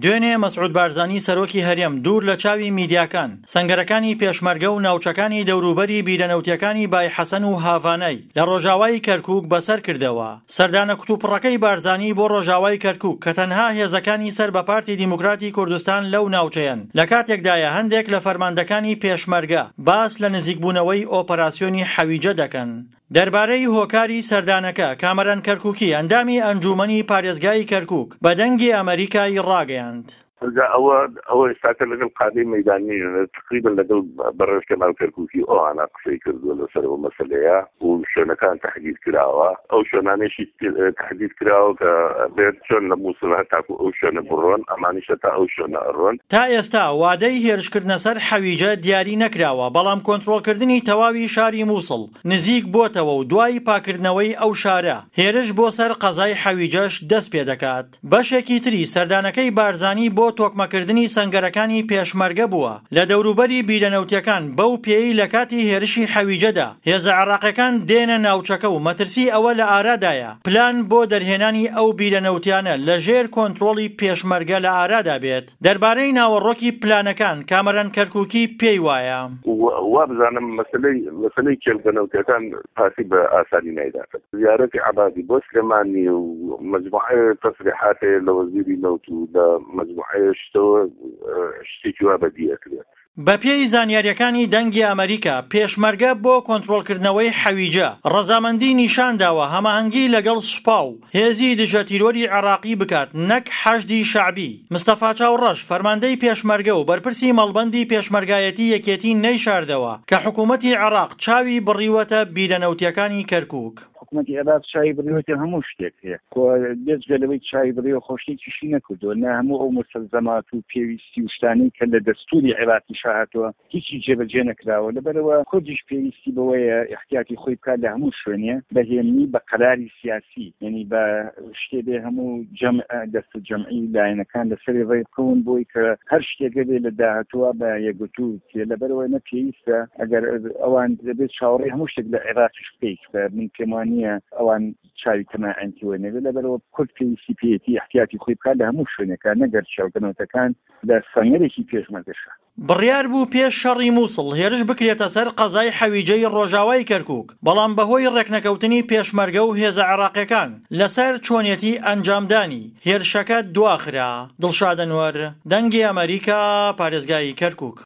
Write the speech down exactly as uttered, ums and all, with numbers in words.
دوێنێ مەسعود بارزانی سەرۆکی هەرێم دوور لە چاوی میدیاکان سەنگەرەکانی پێشمەرگە و ناوچەکانی دەوروبەری بیرەنەوتیەکانی بای حەسەن و هاڤانای لە ڕۆژاوای کەرکوک بەسەر کردەوە. سەردانە کتوپڕەکەی بارزانی بۆ ڕۆژاوای کەرکوک کە تەنها هێزەکانی سەر بە پارتی دیموکراتی کوردستان لەو ناوچەیەن، لە کاتێکدایە هەندێک لە فەرماندەکانی پێشمەرگە باس لە نزیکبوونەوەی ئۆپەراسیۆنی حەویجە دەکەن. دەربارەی هۆکاری سەردانەکە، کامەران کەرکوکی ئەندامی ئەنجوومەنی پارێزگای کەرکوک بە دەنگی ئەمەریکای ڕاگەیاند. جا ئەوە ئەوە ئێستاکە لەگەڵ قادەی مەیدانی تقریبا لەگەڵ بەڕێز کەمال کەرکوکی ئەوانە قسەی کردووە لەسەر ئەو مەسەلەیە و شوێنەکان تەحدید کراوە، ئەو شوێنانەشی تەحدید کراوە کە بێت چۆن لە مووسڵ هەتاکو ئەو شوێنە بڕۆن، ئەمانیشە تا ئەو شوێنە ئەڕۆن. تا ئێستا وادەی هێرشکردنە سەر حەویجە دیاری نەکراوە، بەڵام کۆنترۆڵکردنی تەواوی شاری مووسڵ نزیک بۆتەوە و دوای پاکردنەوەی ئەو شارە هێرش بۆ سەر قەزای حەویجەش دەست پێدەکات. بەشێکی تری سەردانەکەی بارزانی بۆ تۆکمەکردنی سەنگەرەکانی پێشمەرگە بووە لە دەوروبەری بیرە نەوتیەکان، بەو پێیەی لە کاتی هێرشی حەویجەدا هێزە عێراقیەکان دێنە ناوچەکە و مەترسی ئەوە لە ئارادایە پلان بۆ دەرهێنانی ئەو بیرە نەوتیانە لە ژێر کۆنترۆڵی پێشمەرگە لە ئارادا بێت. دەربارەی ناوەڕۆکی پلانەکان کامەران کەرکوکی پێی وایە. وابزانم مەسەلەی مەسەلەی کێڵگە نەوتیەکان پارتی بە ئاسانی نایداتن. زیارەتی عەبادی بۆ سلێمانی و مەجموعەی تەسریحات هەیە لە وەزیری نەوت و لە مەجموعەی شتەوە شتێکی وا بەدی ئەکرێت. بەپێی زانیارییەکانی دەنگی ئەمەریکا، پێشمەرگە بۆ کۆنترۆڵکردنەوەی حەویجە ڕەزامەندی نیشانداوە هەماهەنگی لەگەڵ سوپا و هێزی دژەتیرۆری عێراقی بکات نەک حەشدی شەعبی. مستەفا چاوڕەش، فەرماندەی پێشمەرگە و بەرپرسی مەڵبەندی پێشمەرگایەتی یەکێتی نەیشاردەوە کە حکومەتی عێراق چاوی بڕیوەتە بیرە نەوتیەکانی کەرکوک. حکومەتی عێراق چاوی بڕیوەتە هەموو شتێک هەیە، بێجگە لەوەی چاوی بڕیوە خۆ شتێکیشی نەکردووە، نە هەموو ئەو مستەلزەمات و پێویستی و شتانەی کە لە دەستوری عێراقیش هاتووە هیچی جێبەجێ نەکراوە. لەبەرەوە کوردیش پێویستی بەوەیە احتیاطی خۆی بکات لە هەموو شوێنێ بە هێمنی، بە قەراری سیاسی، یعنی بە شتێ بێ هەموو جەمع دەست جەمعی لایەنەکان لەسەری ڕێ بکەون بۆی کە هەر شتێکە بێ لە داهاتووە بە یەکگرتوو بکرێت. لەبەرەوە نە پێویستە ئەگەر ئەوان دەبێت چاوەڕێی هەموو شتێک لە عێراقیش بکەیت، من پێم وانییە ئەوان چاوی تەماعیان تێوە نەبێت. لەبەرەوە کورد پێویستی پێیەتی احتیاطی خۆی بکات لە هەموو شوێنێکە، نەگەر چاوگەنەوتەکان لە سەنگەرێکی پێشمەرگەشە. بڕیار بوو پێش شەڕی مووسڵ هێرش بکرێتە سەر قەزای حەویجەی ڕۆژاوای کەرکوک، بەڵام بەهۆی ڕێکنەکەوتنی پێشمەرگە و هێزە عێراقیەکان لەسەر چۆنیەتی ئەنجامدانی هێرشەکە دواخرا. دڵشاد ئەنوەر، دەنگی ئەمەریکا، پارێزگای کەرکوک.